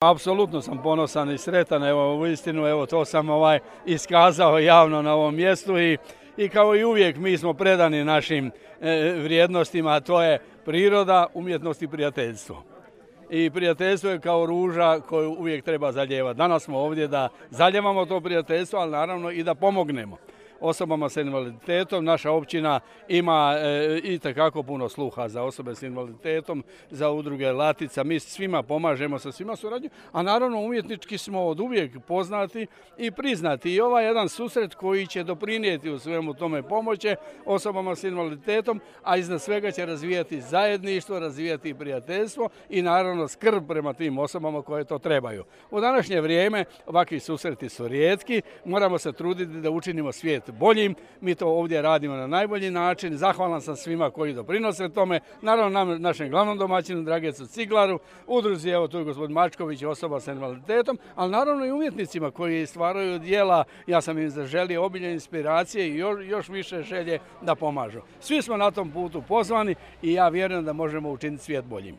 Apsolutno sam ponosan i sretan, evo uistinu, evo to sam iskazao javno na ovom mjestu i kao i uvijek mi smo predani našim vrijednostima, a to je priroda, umjetnost i prijateljstvo. I prijateljstvo je kao ruža koju uvijek treba zalijevati. Danas smo ovdje da zalijevamo to prijateljstvo, ali naravno i da pomognemo osobama s invaliditetom. Naša općina ima itekako puno sluha za osobe s invaliditetom, za udruge Latica. Mi svima pomažemo, sa svima surađujemo, a naravno umjetnički smo od uvijek poznati i priznati. I ovaj jedan susret koji će doprinijeti u svemu tome pomoći osobama s invaliditetom, a iznad svega će razvijati zajedništvo, razvijati prijateljstvo i naravno skrb prema tim osobama koje to trebaju. U današnje vrijeme ovakvi susreti su rijetki, moramo se truditi da učinimo svijet boljim. Mi to ovdje radimo na najbolji način. Zahvalan sam svima koji doprinose tome. Naravno našem glavnom domaćinu Dragecu Ciglaru, udruzi, evo tu je gospodin Mačković, osoba sa invaliditetom, ali naravno i umjetnicima koji stvaraju djela. Ja sam im zaželio obilje inspiracije i još više želje da pomažu. Svi smo na tom putu pozvani i ja vjerujem da možemo učiniti svijet boljim.